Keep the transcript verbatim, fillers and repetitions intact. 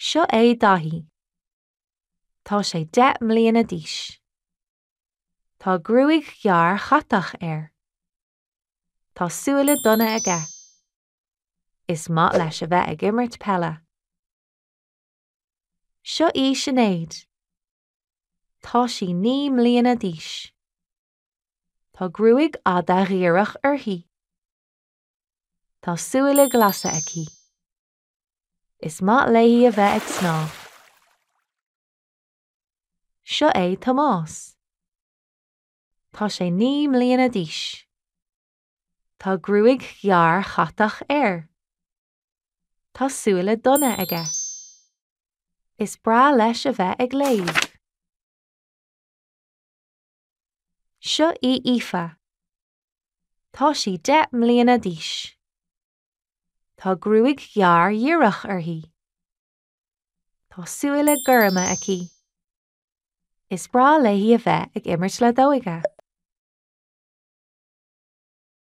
Seo é Daithí. Tá sé deich mbliana d'aois. Tá gruaig ghearr chatach air. Tá súile donna aige. Is maith leis a bheith ag imirt peile. Seo í Sinéad. Tá sí naoi mbliana d'aois. Tá gruaig fhada dhíreach uirthi. Tá súile glasa aici. Is maith léi a bheith ag snámh. Seo é Tomás. Tá sé naoi mbliana d'aois. Tá gruaig ghearr chatach air. Tá súile donna aige. Is breá leis a bheith ag léamh. Seo í Aoife. Tá sí deich mbliana d'aois. Tá gruaig ghearr dhíreach uirthi. Tá súile gorma aici. Is breá léi a bheith ag imirt leadóige.